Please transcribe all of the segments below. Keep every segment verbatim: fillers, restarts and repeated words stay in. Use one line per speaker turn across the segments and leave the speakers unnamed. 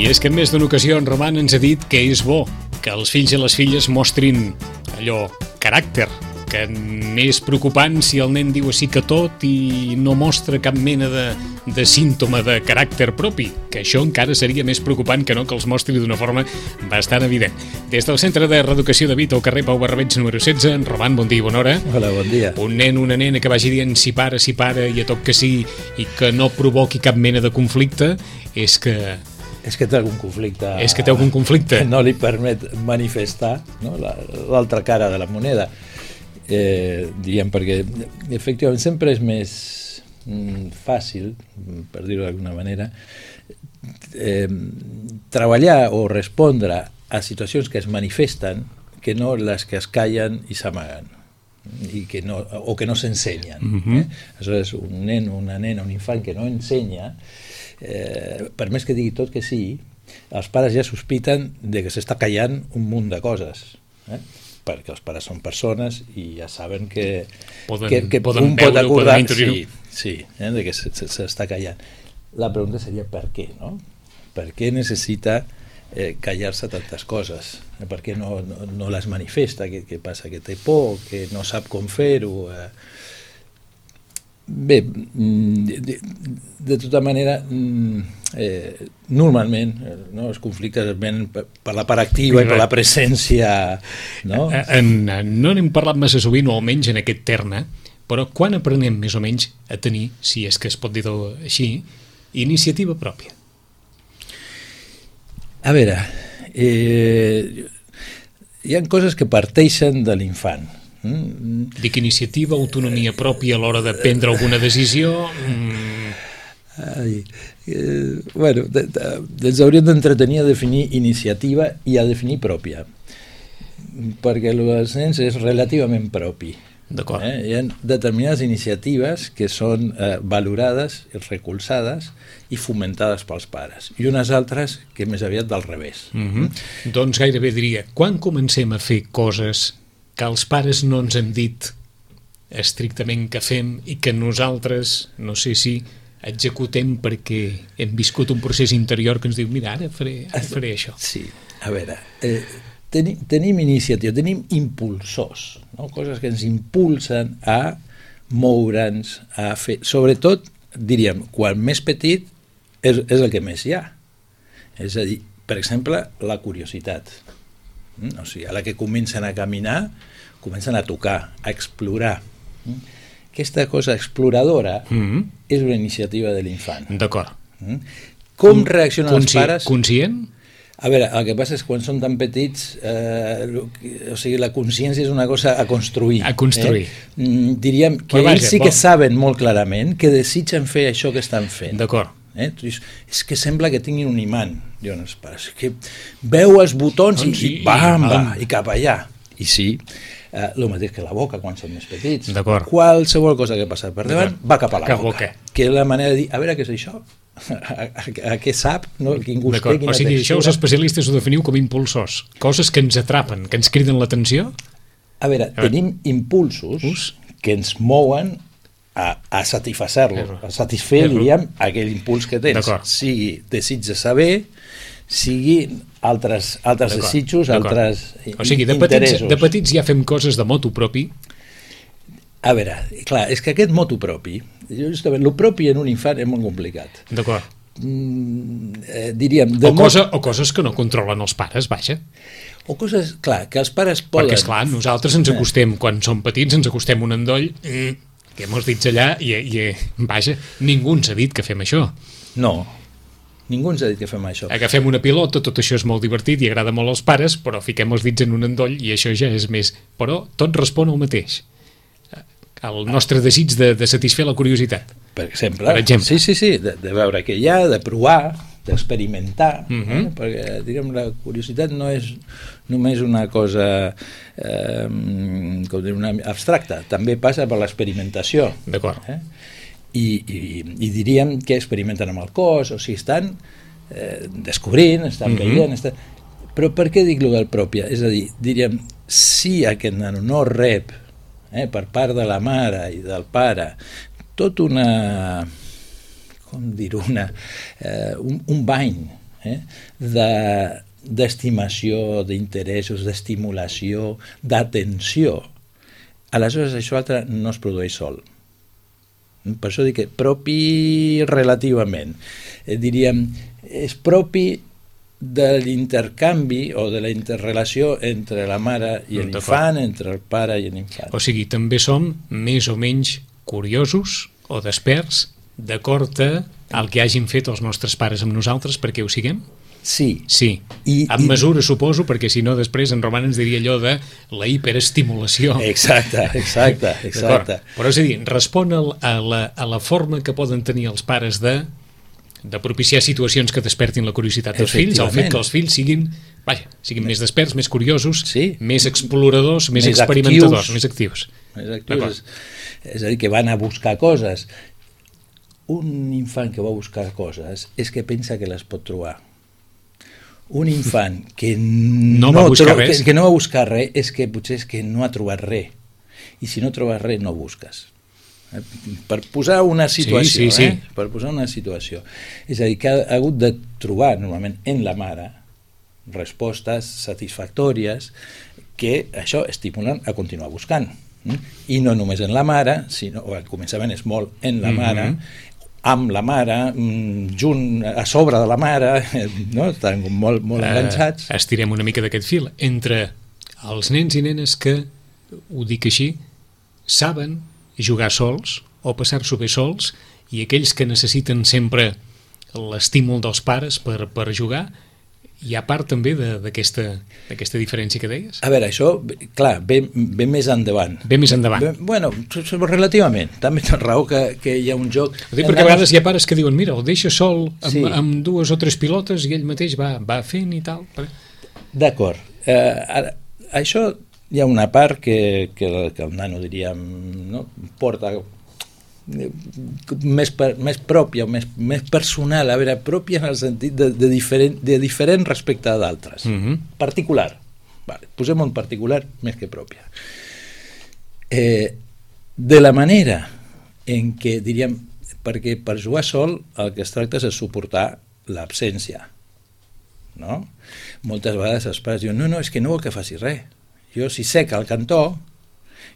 I és que en més d'una ocasió en Roman ens ha dit que és bo que els fills i les filles mostrin allò, caràcter, que n'és preocupant si el nen diu sí que tot i no mostra cap mena de, de símptoma de caràcter propi, que això encara seria més preocupant que no que els mostri d'una forma bastant evident. Des del Centre de Reeducació de Vita al carrer Pau Barrabeig número setze, en Roman, bon dia i bona hora.
Hola, bon dia.
Un nen, una nena que vagi dient si para, si para i a tot que sí i que no provoqui cap mena de conflicte, és que...
És que té algun conflicte.
És que té algun conflicte.
Que no li permet manifestar, no? L'altra cara de la moneda. Eh, diríem, perquè efectivament sempre és més mm, fàcil, per dir-ho d'alguna manera, eh, treballar o respondre a situacions que es manifesten que no les que es callen i s'amaguen i que no, o que no s'ensenyen.
Mm-hmm.
eh? Aleshores, un nen, una nena, un infant que no ensenya, eh, per més que digui tot que sí, els pares ja sospiten de que s'està callant un munt de coses, eh? perquè els pares són persones i ja saben que,
poden,
que, que
poden
un pot
veure,
acordar
sí,
sí, eh, de que s'està callant. La pregunta seria per què, no? Per què necessita eh, callar-se tantes coses? Per què no, no, no les manifesta? Què, què passa? Que té por? Que no sap com fer-ho? Eh? Bé, de, de tota manera, eh, normalment no, els conflictes venen per, per la part activa i per la presència, no?
En, no n'hem parlat massa sovint, o almenys en aquest terme, però quan aprenem més o menys a tenir, si és que es pot dir així, iniciativa pròpia?
A veure, eh, hi ha coses que parteixen de l'infant.
Mm. Dic iniciativa, autonomia pròpia a l'hora de prendre alguna decisió... Mm.
Ai, eh, bueno, de, de, ens hauríem d'entretenir a definir iniciativa i a definir pròpia, perquè els nens és relativament propi.
D'acord.
Eh? Hi ha determinades iniciatives que són eh, valorades, recolzades i fomentades pels pares, i unes altres que més aviat del revés.
Mm-hmm. Mm? Doncs gairebé diria, quan comencem a fer coses que els pares no ens hem dit estrictament que fem i que nosaltres, no sé si executem perquè hem viscut un procés interior que ens diu, mira, ara faré, ara faré això.
Sí, a veure, eh, tenim, tenim iniciativa, tenim impulsors, no? Coses que ens impulsen a moure'ns, a fer, sobretot, diríem, quan més petit és, és el que més hi ha. És a dir, per exemple, la curiositat. O sigui, a la que comencen a caminar, comencen a tocar, a explorar. Aquesta cosa exploradora mm-hmm. és una iniciativa de l'infant.
D'acord.
Com reaccionen
Consci-
els pares?
Conscient?
A veure, el que passa és que quan són tan petits, eh, o sigui, la consciència és una cosa a construir.
A construir.
Eh? Diríem que
Però vaja,
ells sí que
bon.
saben molt clarament que desitgen fer això que estan fent.
D'acord.
Eh? És que sembla que tinguin un imant, diuen els pares, que veu els botons i, i bam, va, i cap allà. I sí, eh, el mateix que la boca quan són més petits. Qualsevol cosa que passa per davant va cap a la boca. boca. Que és la manera de dir, a veure què és això? A, a, a què sap? No? Quin gust té, quina
o sigui,
textura.
Això els especialistes ho definiu com impulsors. Coses que ens atrapen, que ens criden l'atenció?
A veure, a veure. tenim impulsos Us? que ens mouen a, a satisfacer-lo, a satisfer, diríem, aquell impuls que tens. Sigui desig de saber, sigui altres, altres desitjos, altres
o sigui, de
interessos.
Petits, de petits ja fem coses de motu propi.
A veure, clar, és que aquest motu propi, justament, el propi en un infant és molt complicat.
D'acord.
Mm, eh, diríem...
O, cosa, o coses que no controlen els pares, vaja.
O coses, clar, que els pares poden...
Perquè, esclar, nosaltres ens acostem, quan som petits, ens acostem un endoll... Mm, que hem dit allà i, i vaja, ningú ens ha dit que fem això.
No, ningú ens ha dit que fem això.
Agafem una pilota, tot això és molt divertit i agrada molt als pares, però fiquem els dits en un endoll i això ja és més... Però tot respon al mateix. El nostre desig de, de satisfer la curiositat.
Per exemple.
Per exemple.
Sí, sí, sí, de, de veure què hi ha, de provar, d'experimentar,
uh-huh.
eh? Perquè, diguem, la curiositat no és només una cosa eh, com dir, una abstracta, també passa per l'experimentació.
D'acord.
Eh? I, i, I diríem que experimenten amb el cos, o sigui, estan eh, descobrint, estan uh-huh. veient, estan... però per què dic-lo del pròpia? És a dir, diríem, si aquest nano no rep eh, per part de la mare i del pare tot una... com dir-ho, una, eh, un, un bany eh, de, d'estimació, d'interessos, d'estimulació, d'atenció. Aleshores, això altre no es produeix sol. Per això dic que propi relativament. Eh, diríem, és propi de l'intercanvi o de la interrelació entre la mare i l'infant, entre el pare i l'infant.
O sigui, també som més o menys curiosos o desperts d'acord al que hagin fet els nostres pares amb nosaltres perquè ho siguem?
Sí.
Sí, I, amb i... mesura, suposo, perquè si no després en Roman ens diria allò de la hiperestimulació.
Exacte, exacte, exacte.
Però és a dir, respon a la, a la forma que poden tenir els pares de, de propiciar situacions que despertin la curiositat dels fills, el fet que els fills siguin, vaja, siguin més desperts, més curiosos, sí. més exploradors, més, més experimentadors, actius, més actius.
Més actius. És, és a dir, que van a buscar coses. Un infant que va a buscar coses és que pensa que les pot trobar. Un infant que no,
no, va buscar
tro-
res.
Que, que no va buscar res és que potser és que no ha trobat res. I si no trobes res, no busques. Eh? Per posar una situació,
sí, sí, sí.
Eh? Per posar una situació. És a dir, que ha hagut de trobar normalment en la mare respostes satisfactòries que això estimulen a continuar buscant. I no només en la mare, sinó, o al començament és molt en la mare, mm-hmm. amb la mare, junt a sobre de la mare, no? Estan molt, molt enganxats.
Uh, estirem una mica d'aquest fil. Entre els nens i nenes que, ho dic així, saben jugar sols o passar-s'ho bé sols, i aquells que necessiten sempre l'estímul dels pares per, per jugar, hi ha part també d'aquesta d'aquesta diferència que deies?
A veure, això, clar, ve, ve més endavant.
Ve més endavant.
Ve, bueno, relativament. També tens raó que, que hi ha un joc...
Dic perquè a vegades hi ha pares que diuen, mira, el deixa sol amb, sí. amb dues o tres pilotes i ell mateix va, va fent i tal.
D'acord. Eh, ara, això hi ha una part que, que, que el nano, diríem, no? porta més, per, més pròpia, més, més personal, a veure, pròpia en el sentit de, de, diferent, de diferent respecte a d'altres. Mm-hmm. Particular. Vale, posem un particular més que pròpia. Eh, de la manera en què, diríem, perquè per jugar sol el que es tracta és de suportar l'absència. No? Moltes vegades els pares diuen, no, no, és que no vol que faci res. Jo si sec al cantó,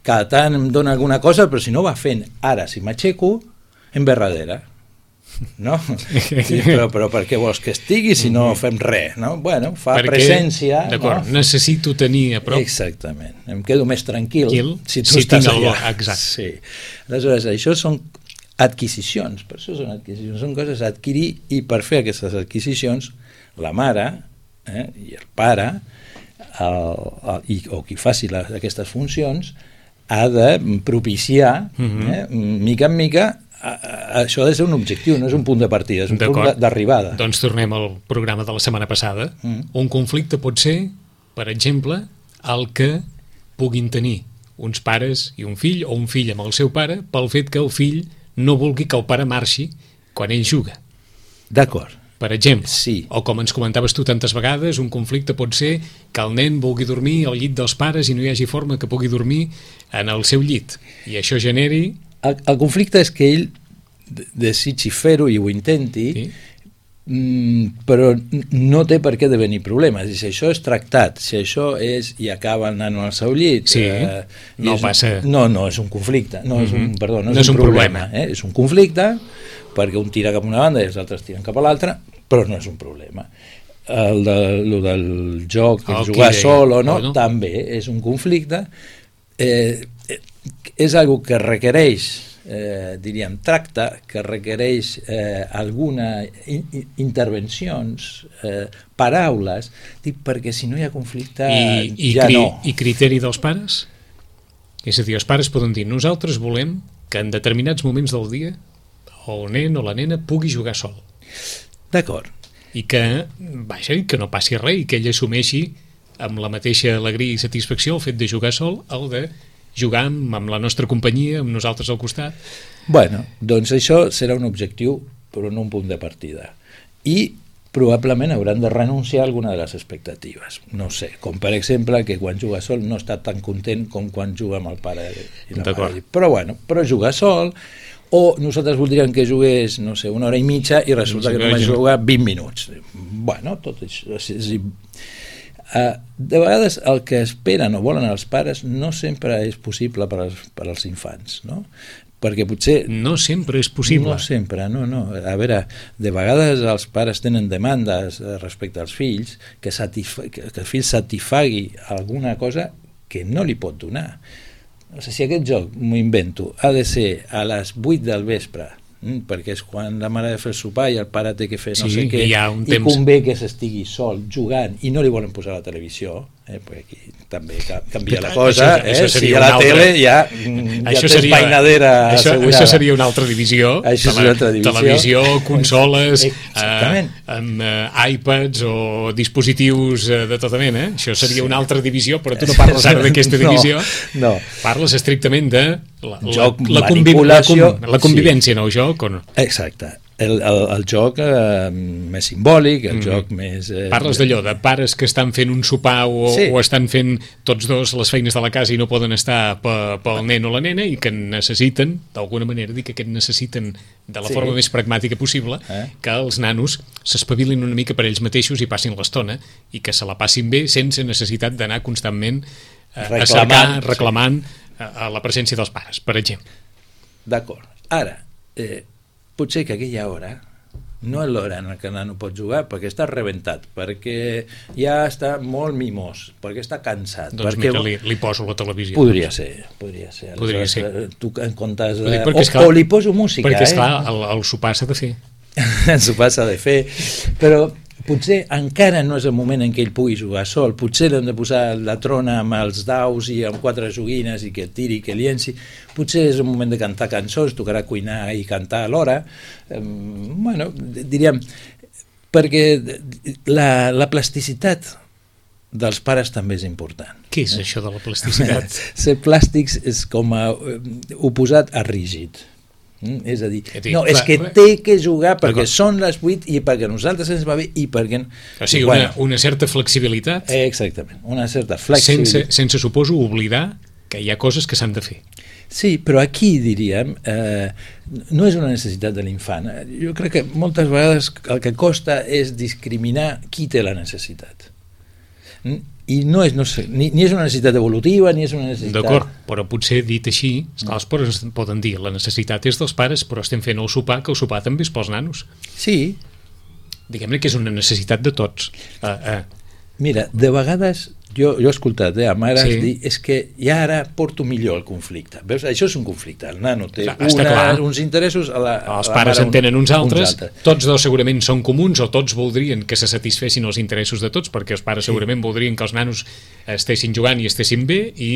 cada tant em dona alguna cosa, però si no va fent. Ara, si m'aixeco, em ve darrere. No? Sí, però, però per què vols que estigui si no fem res? No? Bueno, fa Perquè, presència.
D'acord,
no?
Necessito tenir a prop.
Exactament. Em quedo més tranquil
Quil,
si tu
si
estàs allà.
Exacte.
Sí. Aleshores, això són adquisicions. Per això són adquisicions. Són coses a adquirir i per fer aquestes adquisicions, la mare eh, i el pare el, el, i, o qui faci la, aquestes funcions ha de propiciar, mm-hmm. eh, mica en mica, a, a, això ha de ser un objectiu, no és un punt de partida, és un punt d'arribada.
Doncs tornem al programa de la setmana passada. Mm. Un conflicte pot ser, per exemple, el que puguin tenir uns pares i un fill, o un fill amb el seu pare, pel fet que el fill no vulgui que el pare marxi quan ell juga.
D'acord.
Per exemple,
sí.
O com ens comentaves tu tantes vegades, un conflicte pot ser que el nen vulgui dormir al llit dels pares i no hi hagi forma que pugui dormir en el seu llit, i això generi...
El, el conflicte és que ell desitgi fer-ho i ho intenti, sí. mm, però no té per què devenir problema. Si això és tractat, si això és i acaba el nano al seu llit...
Sí, eh, no passa...
Un, no, no, és un conflicte, no, mm-hmm. és un, perdó, no,
no
és,
és un,
un problema.
problema.
Eh? És un conflicte, perquè un tira cap a una banda i els altres tiren cap a l'altra, però no és un problema. El, de, el del joc, el jugar sol o no, o no, també és un conflicte. Eh, és algo que requereix, eh, diríem, tracte, que requereix eh, alguna in, intervencions, eh, paraules, dic, perquè si no hi ha conflicte
I, i
ja
cri,
no.
I criteri dels pares? És a dir, els pares poden dir, nosaltres volem que en determinats moments del dia el nen o la nena pugui jugar sol.
D'acord.
I que, vaja, que no passi res i que ell assumeixi amb la mateixa alegria i satisfacció el fet de jugar sol, el de jugar amb, amb la nostra companyia, amb nosaltres al costat.
Bueno, doncs això serà un objectiu, però no un punt de partida. I probablement hauran de renunciar a alguna de les expectatives. No sé, com per exemple que quan juga sol no està tan content com quan juga amb el pare i la mare. Però bueno, però jugar sol, o nosaltres voldríem que jugués, no sé, una hora i mitja i resulta que només juga vint minuts. Bueno, tot això... Uh, de vegades el que esperen o volen els pares no sempre és possible per als, per als infants, no? Perquè potser...
No sempre és possible.
No sempre, no, no. A veure, de vegades els pares tenen demandes respecte als fills que, satisfa... que el fill satisfagui alguna cosa que no li pot donar. O sigui, si aquest joc, m'ho invento, ha de ser a les vuit del vespre, mm, perquè és quan la mare ha de fer el sopar i el pare té que fer no
sí,
sé què,
i, i
temps... convé que s'estigui sol jugant i no li volen posar la televisió, eh, perquè aquí també canvia la cosa, això, eh? Això si a la altre... tele ja, ja
això
tens
seria,
mainadera
això,
assegurada.
Això seria una altra divisió,
això és una altra divisió.
Televisió, consoles, eh, amb eh, iPads o dispositius eh, de tota mena, eh? Això seria sí. una altra divisió, però tu no parles ara d'aquesta divisió,
no, no.
Parles estrictament de la,
joc,
la, la, conviv la, com, la convivència, sí. no, el joc o no?
Exacte. El, el, el joc eh, més simbòlic, el mm. joc més... Eh,
Parles d'allò, de pares que estan fent un sopar o, sí. o estan fent tots dos les feines de la casa i no poden estar pel nen o la nena i que necessiten, d'alguna manera, dir que aquest necessiten de la sí. forma més pragmàtica possible, eh? que els nanos s'espavilin una mica per ells mateixos i passin l'estona i que se la passin bé sense necessitat d'anar constantment eh, a cercar, reclamant sí. a, a la presència dels pares, per exemple.
D'acord. Ara, eh, potser que aquella hora no és l'hora en què el nano pot jugar perquè està rebentat, perquè ja està molt mimós, perquè està cansat.
Doncs
perquè...
mira, li, li poso la televisió.
Podria ser, podria ser.
Podria ser.
Tu en comptes...
De...
O,
esclar,
o li poso música,
perquè,
eh?
Perquè, esclar, el, el sopar s'ha de fer.
El sopar s'ha de fer, però potser encara no és el moment en què ell pugui jugar sol, potser l'hem de posar la trona amb els daus i amb quatre joguines i que tiri, que lienci, potser és el moment de cantar cançons, tocarà cuinar i cantar alhora, eh, bueno, diríem, perquè la, la plasticitat dels pares també és important.
Què és eh? això de la plasticitat?
Ser plàstics és com a eh, oposat a rígid. Mm, és a dir, dir no, és que té que jugar perquè són les vuit i perquè a nosaltres ens va bé i perquè...
O sigui, bueno, una, una certa flexibilitat.
Eh, exactament, una certa flexibilitat.
Sense, sense suposo, oblidar que hi ha coses que s'han de fer.
Sí, però aquí, diríem, eh, no és una necessitat de l'infant. Jo crec que moltes vegades el que costa és discriminar qui té la necessitat. Mm? I no és, no sé, ni, ni és una necessitat evolutiva ni és una necessitat...
D'acord, però potser dit així, esclar, els pares poden dir la necessitat és dels pares, però estem fent el sopar, que el sopar també és pels nanos.
Sí.
Diguem-ne que és una necessitat de tots. Uh, uh.
Mira, de vegades jo, jo he escoltat eh, a mares sí. dir és que ja ara porto millor el conflicte. Veus? Això és un conflicte. El nano té una, uns interessos... A la,
els
a la
pares en tenen uns altres,
uns altres.
Tots dos segurament són comuns o tots voldrien que se satisfessin els interessos de tots perquè els pares sí. segurament voldrien que els nanos estessin jugant i estessin bé i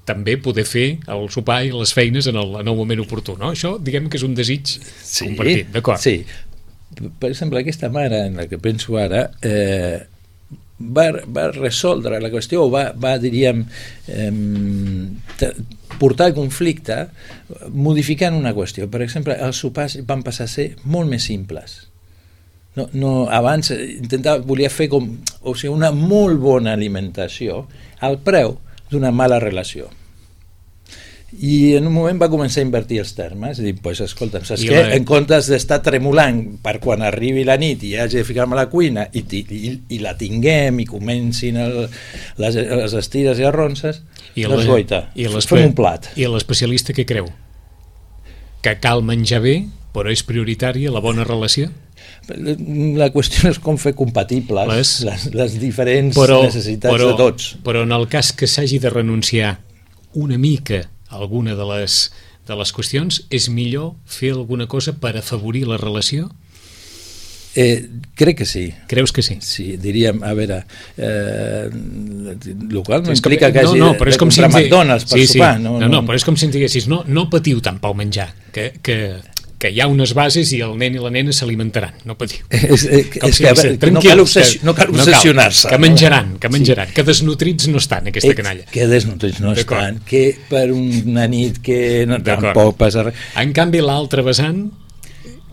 també poder fer el sopar i les feines en el, en el moment oportú. No? Això diguem que és un desig sí. compartit. D'acord.
Sí. Per exemple, aquesta mare en la que penso ara... Eh, Va, va resoldre la qüestió, va, va diríem, eh, portar el conflicte modificant una qüestió. Per exemple, els sopars van passar a ser molt més simples. No, no, abans intentava, volia fer com, o sigui, una molt bona alimentació al preu d'una mala relació. I en un moment va començar a invertir els termes i dir, pues, escolta, saps què? La... En comptes d'estar tremolant per quan arribi la nit i hagi de ficar-me a la cuina i, i, i la tinguem i comencin el, les, les estires i arronses, I doncs goita, fem un plat.
I l'especialista què creu? Que cal menjar bé, però és prioritària la bona relació?
La qüestió és com fer compatibles les, les, les diferents
però,
necessitats
però,
de tots.
Però en el cas que s'hagi de renunciar una mica alguna de les, de les qüestions, és millor fer alguna cosa per afavorir la relació?
Eh, crec que sí.
Creus que sí?
Sí, diríem, a veure, eh, el qual no
és
implica
com,
que hagi
no, no,
de, de
comprar
si McDonald's per
sí,
sopar.
Sí.
No,
no,
no,
no, però és com si em diguessis, no, no patiu tant pel menjar, que, que, que hi ha unes bases i el nen i la nena s'alimentaran, no patiu.
És, és, és
si
que, veure, que no cal, obsessi no cal obsessionar-se.
No que menjaran, que menjaran, sí. Que desnutrits no estan, aquesta eh, canalla.
Que desnutrits no estan, que per una nit que no, tampoc passa res.
En canvi, l'altre vessant,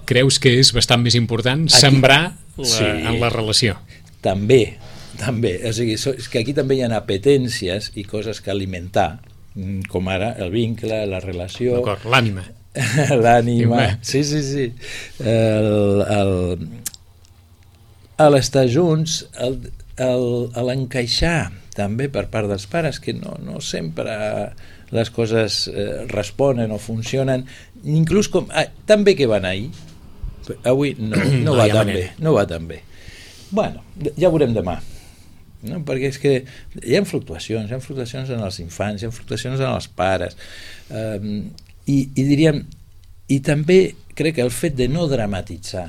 creus que és bastant més important aquí, sembrar la, sí, en la relació?
També, també. O sigui, és que aquí també hi ha apetències i coses que alimentar, com ara el vincle, la relació...
D'acord, l'ànima.
l'ànima... Sí, sí, sí. El, el, a l'estar junts, el, el, l'encaixar també per part dels pares, que no, no sempre les coses eh, responen o funcionen, inclús com... Ah, tan bé que van ahir, avui no, no, no va tan bé, no va tan bé. Bueno, ja veurem demà. No? Perquè és que hi ha fluctuacions, hi ha fluctuacions en els infants, hi ha fluctuacions en els pares, um, i, i diríem, i també crec que el fet de no dramatitzar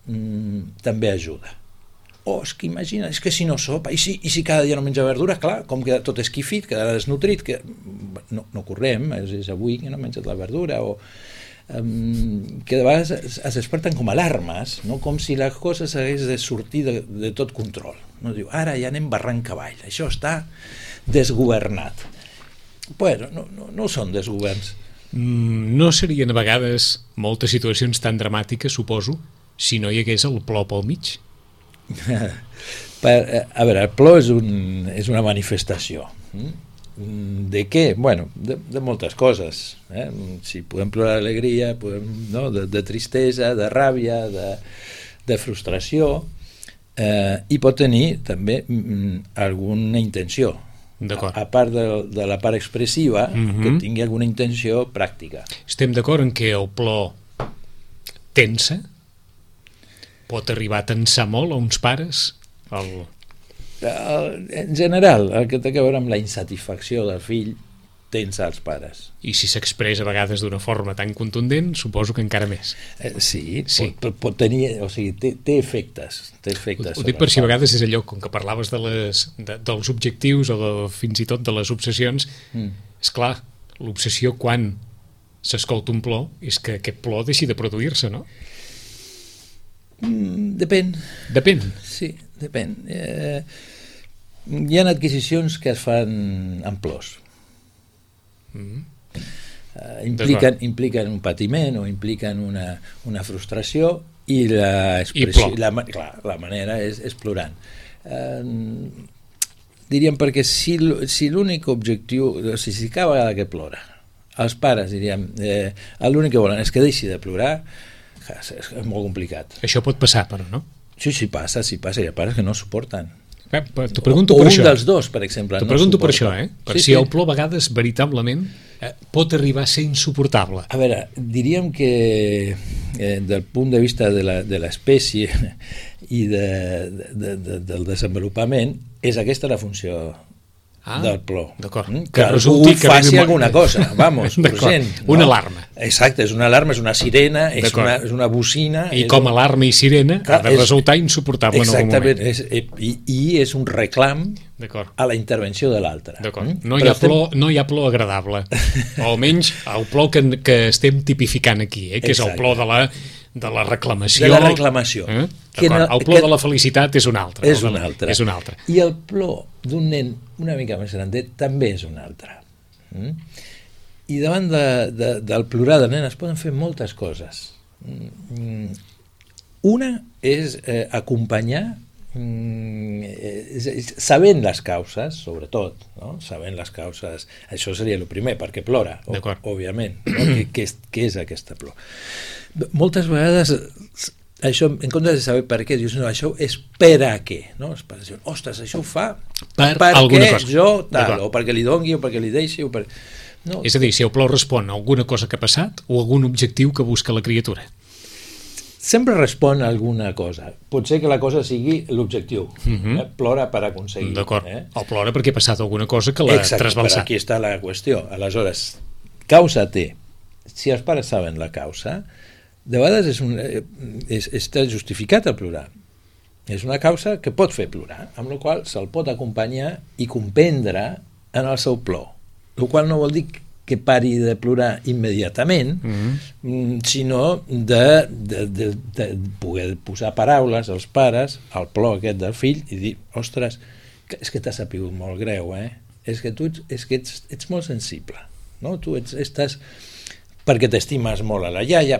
um, també ajuda. Oh, és que imagina, és que si no sopa, i si, i si cada dia no menja verdura, clar, com que tot és quifit, quedarà desnutrit, que no, no correm, és, és avui que no ha menjat la verdura, o Um, que de vegades es, es desperten com alarmes, no? Com si la cosa s'hagués de sortir de, de tot control, no? Diu, ara ja anem barranc cavall, això està desgovernat. Bueno, no, no, no són desgoverns.
Mm, no serien a vegades moltes situacions tan dramàtiques, suposo, si no hi hagués el plor pel mig?
Per, a veure, el plor és, un, és una manifestació. De què? Bueno, de, de moltes coses. Eh? Si podem plorar d'alegria, podem, no? de, de tristesa, de ràbia, de, de frustració, eh, i pot tenir també mm, alguna intenció. A, a part de, de la part expressiva, mm-hmm. que tingui alguna intenció pràctica.
Estem d'acord en que el plor tensa? Pot arribar a tensar molt a uns pares? El...
En general, el que té a veure amb la insatisfacció del fill tensa els pares.
I si s'expressa a vegades d'una forma tan contundent, suposo que encara més.
Eh, sí, sí. Pot, pot tenir, o sigui, té, té efectes. Té efectes
ho, ho dic per si a vegades és allò, com que parlaves de les, de, dels objectius o de, fins i tot de les obsessions, mm. és clar, l'obsessió quan s'escolta un plor és que aquest plor deixi de produir-se, no?
Mm, depèn.
Depèn?
Sí, depèn. Eh, hi ha adquisicions que es fan amb plors. Mm. Eh, impliquen, impliquen un patiment o impliquen una, una frustració i la, expressió, I la, clar, la manera és, és plorant. Eh, diríem perquè si, si l'únic objectiu, o sigui, si cada vegada que plora, els pares, diríem, eh, l'únic que volen és que deixi de plorar, és, és molt complicat.
Això pot passar, però, no?
Sí, sí passa, sí passa, hi ha pares que no suporten.
Eh, T'ho pregunto
o,
per
o
això.
un dels dos, per exemple.
T'ho
no
pregunto
suporta.
per això, eh? Per
sí,
si
sí.
el plor a vegades, veritablement, eh, pot arribar a ser insuportable.
A veure, diríem que eh, del punt de vista de la, de l'espècie i de, de, de, del desenvolupament, és aquesta la funció ah, del plor.
D'acord.
Mm? Que, que algú que faci alguna cosa, vamos, urgent.
Una
no?
alarma.
Exacte, és una alarma, és una sirena, és una, és una bocina...
I
és
com a
un...
alarma i sirena clar, ha de resultar és... insuportable en algun moment.
Exactament, és, i, i és un reclam a la intervenció de l'altre.
D'acord. Mm? No, hi ha estem... plor, no hi ha plor agradable. O almenys el plor que, que estem tipificant aquí, eh? Que Exacte. És el plor de la... de la reclamació.
De la reclamació.
Eh? Que no, el plor que... de la felicitat és un altre.
És un altre.
És un altre.
I el plor d'un nen una mica més grandet també és un altre. Mm? I davant de, de, del plorar del nen es poden fer moltes coses. Mm. Una és eh, acompanyar mm, eh, sabent les causes, sobretot, no? Sabent les causes, això seria el primer, perquè plora, òbviament, no? què, què, és, què és aquesta plor? Moltes vegades això, en comptes de saber per què, dius, no, això és per a què, no? Els pares diuen, ostres, això ho fa
per
perquè jo tal, o perquè li dongui, o perquè li deixi, o per... No.
És a dir, si el plor respon a alguna cosa que ha passat o a algun objectiu que busca la criatura.
Sempre respon a alguna cosa. Pot ser que la cosa sigui l'objectiu.
Uh-huh.
eh? Plora per aconseguir.
D'acord.
Eh?
O plora perquè ha passat alguna cosa que l'ha trasbalsat.
Però aquí està la qüestió. Aleshores, causa té. Si els pares saben la causa, de vegades és un, és, està justificat el plorar. És una causa que pot fer plorar, amb la qual se'l pot acompanyar i comprendre en el seu plor. El qual no vol dir que pari de plorar immediatament, mm-hmm. sinó de, de, de, de poder posar paraules als pares al plor aquest del fill i dir, ostres, és que t'ha sapigut molt greu, eh? És que tu ets, és que ets, ets molt sensible, no? Tu ets, estàs... perquè t'estimes molt a la iaia,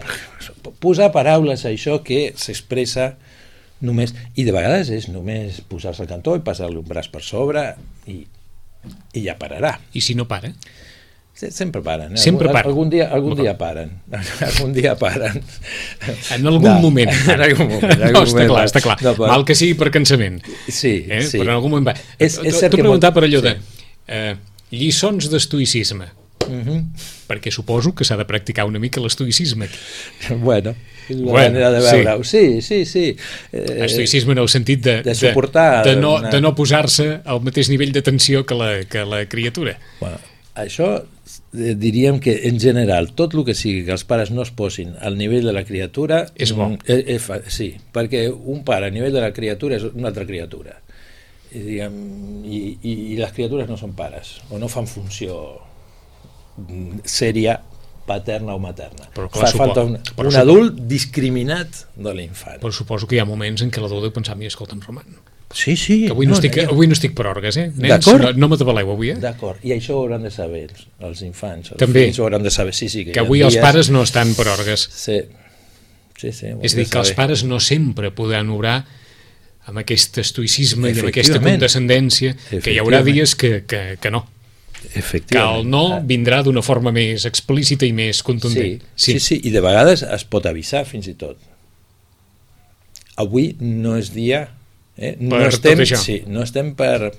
posar paraules a això que s'expressa només, i de vegades és només posar-se al cantó i passar-li un braç per sobre i, i ja pararà.
I si no para?
Sempre paren. Eh?
Sempre
algun,
paren.
Algun dia, algun dia paren. Algun dia paren.
En algun
no,
moment.
En algun moment. En
No,
algun
està
moment
clar, està clar.
No, però...
Mal que sigui per cansament.
Sí,
eh?
sí.
Però en algun moment va.
És, és cert
T'ho
que
preguntar
molt...
per allò
sí.
de eh, lliçons d'estoïcisme. Uh -huh. Perquè suposo que s'ha de practicar una mica l'estoïcisme.
Bueno, és una
bueno,
manera de veure-ho. Sí, sí, sí.
Eh, estoïcisme en el sentit de,
de suportar...
De, de no,
una...
de no posar-se al mateix nivell de tensió que la, que la criatura.
Bueno, això eh, diríem que en general tot el que sigui que els pares no es posin al nivell de la criatura
és bo.
Eh, eh, fa, sí, perquè un pare a nivell de la criatura és una altra criatura. I, diguem, i, i, i les criatures no són pares o no fan funció sèria paterna o materna.
Però clar,
Fa falta un,
però
un
supo...
adult discriminat de l'infant.
Però suposo que hi ha moments en què l'adult deu pensar, mira, escolta'm, Roman,
sí, sí,
que avui no, no, estic,
no,
avui no estic per orgues, eh? Nens,
d'acord,
no, no m'atabaleu avui, eh?
D'acord, i això ho hauran de saber els, els infants, els
també,
fills ho hauran de saber, sí, sí, que,
que avui dies... els pares no estan per orgues.
Sí, sí, sí.
És a dir, que els pares no sempre podran obrar amb aquest estoïcisme i amb aquesta condescendència, que hi haurà dies que, que, que no. Que el no vindrà d'una forma més explícita i més contundent.
Sí, sí, sí, i de vegades es pot avisar fins i tot. Avui no és dia... Eh? No,
per
estem,
tot això.
sí, no estem per...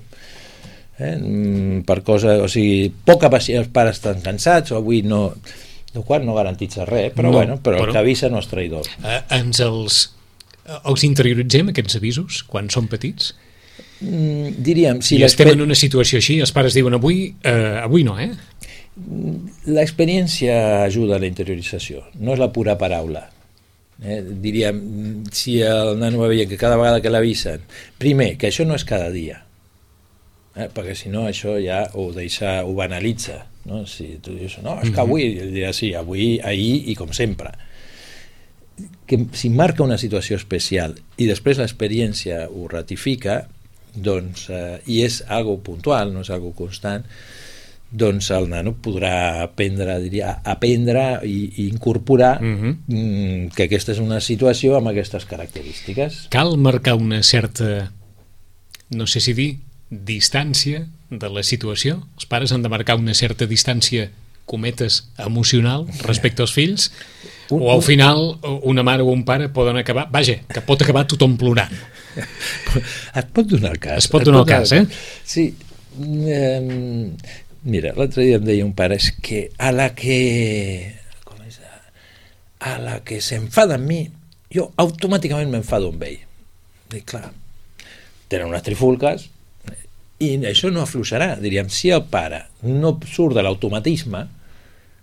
Eh, per cosa... O sigui, poca paciència, els pares estan cansats, o avui no... El qual no garantitza res, però, no, bueno, però, però el que avisa no és traïdor.
Eh, ens els, els interioritzem, aquests avisos, quan són petits?
Mm, diríem... Si
I estem en una situació així, els pares diuen avui, eh, avui no, eh?
L'experiència ajuda a la interiorització, no és la pura paraula. Eh? Diríem, si el nano va veient que cada vegada que l'avisen, primer, que això no és cada dia, eh? Perquè si no això ja ho deixa, ho banalitza, no? Si tu dius, no, és que avui, dirà sí, avui, ahir i com sempre. Que si marca una situació especial i després l'experiència ho ratifica, doncs, eh, i és algo puntual, no és algo constant, doncs el nano podrà aprendre, diria, aprendre i, i incorporar uh-huh. que aquesta és una situació amb aquestes característiques.
Cal marcar una certa, no sé si dir, distància de la situació? Els pares han de marcar una certa distància, cometes, emocional respecte als fills? Un, o al final una mare o un pare poden acabar, vaja, que pot acabar tothom plorant.
Es pot donar el cas.
Es pot donar el cas, eh?
Sí. Eh, mira, l'altre dia em deia un pare, és que a la que com és, a la que s'enfada amb mi, jo automàticament m'enfado amb ell. Dic, clar, tenen unes trifulques i això no afluixarà. Diríem, si el pare no surt de l'automatisme,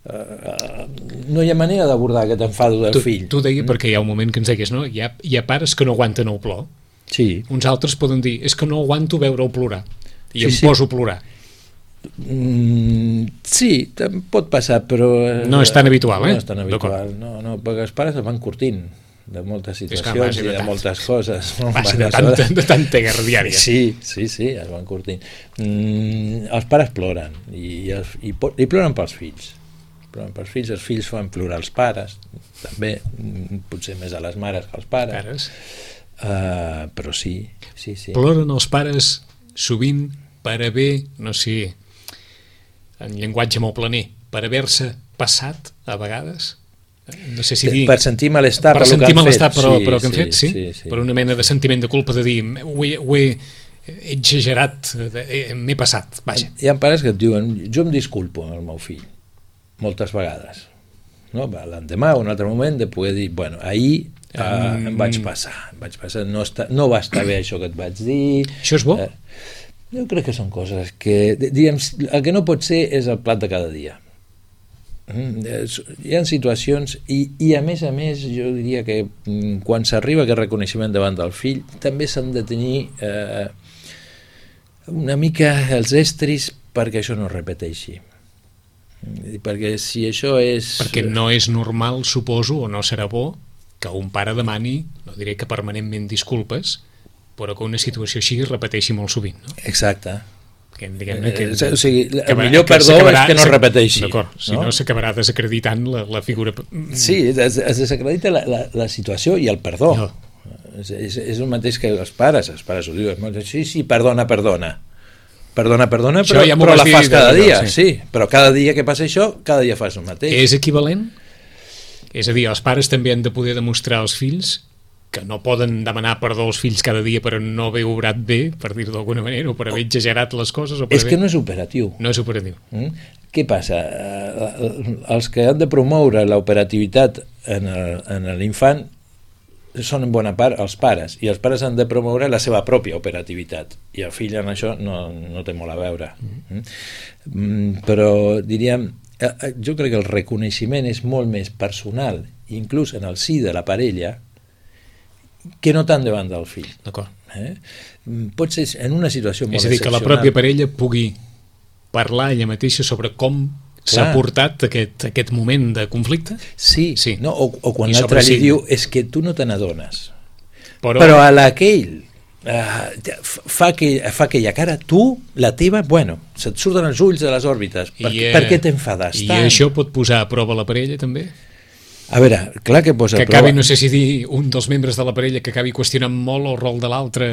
Uh, no hi ha manera d'abordar aquest enfado del
tu,
fill.
Tu deia mm. perquè hi ha un moment que ens deies, no? Hi ha, hi ha pares que no aguanten el plor.
Sí.
Uns altres poden dir, és que no aguanto veure'l plorar i
sí,
em
sí.
poso a plorar.
Mm, sí, pot passar, però
no és tan habitual, eh?
No és tan habitual, no, no, perquè els pares es van curtint de moltes situacions
i de
tant. moltes coses.
Va ser de tanta, de tanta guerra diària.
Sí, sí, sí, es van curtint. Mm, els pares ploren i, els, i, i ploren pels fills. Ploren pels fills, els fills fan plorar els pares, també, potser més a les mares que als pares. pares. Uh, però sí, sí, sí.
Ploren els pares sovint per haver, no sé, en llenguatge molt planer, per haver-se passat a vegades, no sé si dir...
Per sentir malestar
per, per sentir malestar
fet.
però,
sí,
però que han
sí,
fet, sí?
sí, sí.
Per una mena de sentiment de culpa de dir, ho he, ho he exagerat, m'he passat, vaja.
Hi ha pares que et diuen, jo em disculpo amb el meu fill, moltes vegades, no? L'endemà o un altre moment de poder dir, bueno, ahir uh, um... em vaig passar, em vaig passar no, està, no va estar bé això que et vaig dir.
Això és bo?
Uh, jo crec que són coses que, diguem, el que no pot ser és el plat de cada dia. Mm, hi ha situacions i, i a més a més jo diria que mm, quan s'arriba aquest reconeixement davant del fill també s'han de tenir eh, una mica els estris perquè això no es repeteixi. Perquè si això és...
Perquè no és normal, suposo, o no serà bo, que un pare demani, no diré que permanentment disculpes, però que una situació així es repeteixi molt sovint, no?
Exacte.
Que, diguem-ne, que,
o sigui, el
que,
millor
que
perdó és que no es repeteixi.
D'acord, si no, no s'acabarà desacreditant la, la figura...
Sí, es, es desacredita la, la, la situació i el perdó.
No.
És, és, és el mateix que els pares, els pares ho diuen, sí, sí, perdona, perdona. perdona, perdona,
Això
però,
ja m'ho
però
vas
la
dir
fas cada
de-
dia,
sí.
sí. Però cada dia que passa això, cada dia fas el mateix.
És equivalent? És a dir, els pares també han de poder demostrar als fills que no poden demanar perdó als fills cada dia per no haver obrat bé, per dir-ho d'alguna manera, o per haver exagerat les coses. O per
És
haver...
que no és operatiu.
No és operatiu.
Mm? Què passa? Eh, Els que han de promoure l'operativitat en el- en l'infant són en bona part els pares, i els pares han de promoure la seva pròpia operativitat, i el fill en això no, no té molt a veure. Mm? Mm, però diríem, eh, eh, jo crec que el reconeixement és molt més personal, inclús en el si de la parella, que no tant davant del fill.
D'acord.
Eh? Mm, Pot ser en una situació molt
És a dir, que la
excepcional.
pròpia parella pugui parlar ella mateixa sobre com s'ha
Clar.
portat aquest, aquest moment de conflicte,
Sí,
Sí.
No? O, o quan
I
l'altre
sobre
li
si-
diu és que tu no te n'adones.
però,
Però a l'aquell uh, fa, que, fa aquella cara, tu, la teva, bueno, se't surten els ulls de les òrbites. Per,
I, eh,
per què t'enfades
I
tant?
això pot posar a prova la parella també?
A veure, clar que posa
Que
a prova.
acabi, no sé si dir, un dels membres de la parella que acabi qüestionant molt el rol de l'altre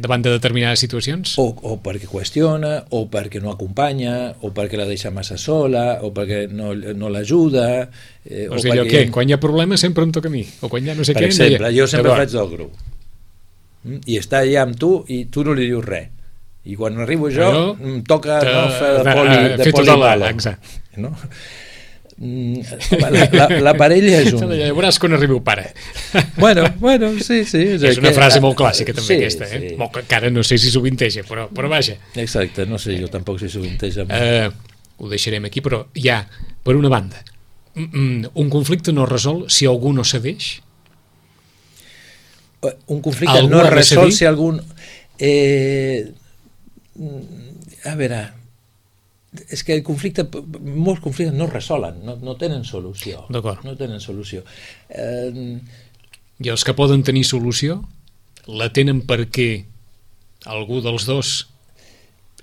davant de determinades situacions?
O, o perquè qüestiona, o perquè no acompanya, o perquè la deixa massa sola, o perquè no, no l'ajuda. Eh,
O sigui, allò
perquè...
què? Quan hi ha problemes sempre em toca a mi, o quan hi ha no sé
Per
què...
exemple,
no hi ha...
jo sempre
Llavors,
faig del grup. Mm? I està allà amb tu i tu no li dius res. I quan arribo jo,
Jo
em toca
te-
no, fer de
de-
poli,
eh,
de
fer tota la-
polibalo.
exacte.
No? Mm, home, la, la, la parella és un...
Ja veuràs quan arribi el pare.
Bueno, bueno, sí, sí.
És una
que-
frase molt clàssica també,
sí,
aquesta, eh?
sí.
Molt que encara no sé si sovinteja, però, però vaja.
Exacte, no sé, jo tampoc si sovinteja.
Eh, ho deixarem aquí, però hi ha, per una banda, mm, mm, un conflicte no es resol si algú no cedeix.
Un conflicte
Algú
no
ha
es
de
resol
cedir?
si algun... Eh, a veure, és que el conflicte, molts conflictes no es resolen, no, no tenen solució.
D'acord.
No tenen solució. Eh,
I els que poden tenir solució la tenen perquè algú dels dos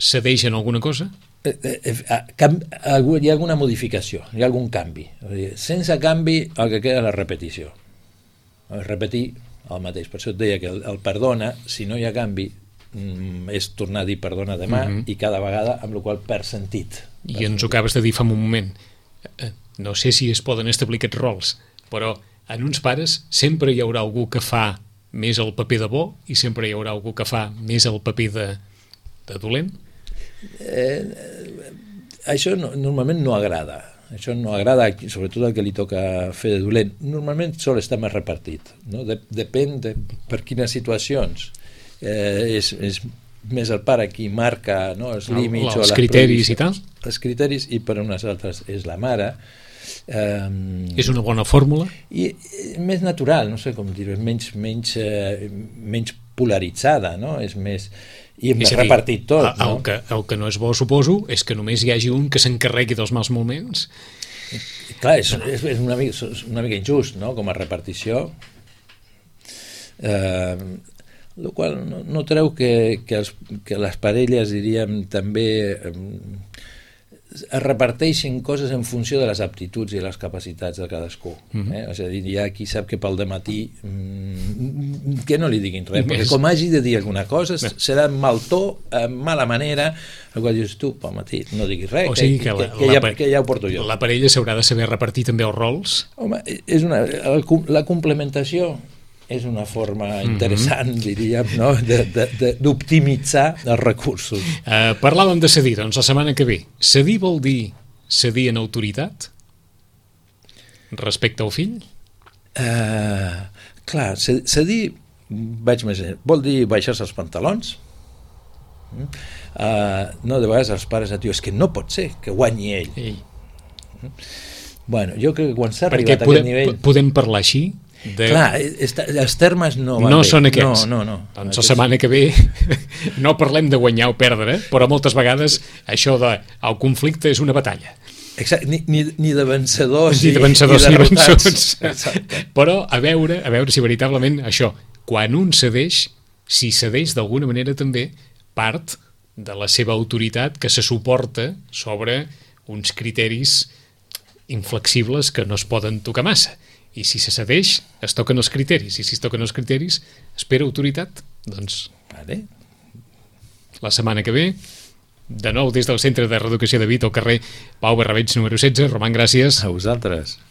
cedeix en alguna cosa?
eh, eh, eh, cam, algú, hi ha alguna modificació, hi ha algun canvi. O sigui, sense canvi, el que queda és la repetició. Repetir el mateix. Per això et deia que el, el perdona, si no hi ha canvi, mm, és tornar a dir perdona demà,
Mhm.
i cada vegada, amb la qual cosa per sentit.
I ens ho acabes de dir fa un moment. Eh, No sé si es poden establir aquests rols, però en uns pares sempre hi haurà algú que fa més el paper de bo i sempre hi haurà algú que fa més el paper de, de dolent.
Eh, això no, normalment no agrada. Això no agrada, sobretot el que li toca fer de dolent. Normalment sol estar més repartit. No? De, depèn de per quines situacions. Eh, és, és més el pare qui marca, no, els
El-
límits
els
o les
criteris i tal.
prohibicions. Els criteris, i per unes altres és la mare. Eh,
És una bona fórmula?
i és més natural, no sé com dir-ho, és menys, menys, eh, menys polaritzada, no? És més... I hem
És
de
a dir,
repartir tot,
el,
no?
el, que, el que no és bo, suposo, és que només hi hagi un que s'encarregui dels mals moments.
Clar, és, és, és, una, mica, és una mica injust, no?, com a repartició. Eh, el qual no, no treu que, que, els, que les parelles, diríem, també eh, es reparteixen coses en funció de les aptituds i les capacitats de cadascú.
Mhm.
eh? És a dir, hi ha qui sap que pel dematí mm, que no li diguin res,
I
perquè
més.
com hagi de dir alguna cosa
Bé.
serà amb mal to, amb mala manera, el qual dius tu, pel matí no diguis res,
O sigui que
que,
la-
que, que,
la
ja,
pa-
que ja ho porto jo.
La parella s'haurà de saber repartir també els rols.
Home, és una, el, la complementació és una forma interessant, mm -hmm. diríem, no? de, de, de, d'optimitzar els recursos.
Uh, parlàvem de cedir, doncs la setmana que ve. Cedir vol dir cedir en autoritat respecte al fill?
Uh, clar, cedir, vaig més enllà, vol dir baixar-se els pantalons. Uh, no, de vegades els pares et diuen, és que no pot ser que guanyi ell.
Ei.
Bueno, jo crec que quan s'ha
Perquè
arribat a
podem,
aquest nivell...
podem parlar així? De...
Clar, està, els termes no van
no
bé.
són aquests.
No, no, no.
Doncs la
Aquests-
setmana que ve no parlem de guanyar o perdre, però moltes vegades això de el conflicte és una batalla.
Exacte, ni, ni, ni de vencedors
Ni de vencedors
i,
ni
i derrotats.
vençuts.
Exacte.
Però a veure, a veure si veritablement això, quan un cedeix, si cedeix d'alguna manera també part de la seva autoritat que se suporta sobre uns criteris inflexibles que no es poden tocar massa. I si se cedeix, es toquen els criteris. I si es toquen els criteris, espera autoritat. Doncs
Vale.
la setmana que ve de nou des del Centre de Reeducació de Vic al carrer Pau Barrabeig número setze. Roman, gràcies.
A vosaltres.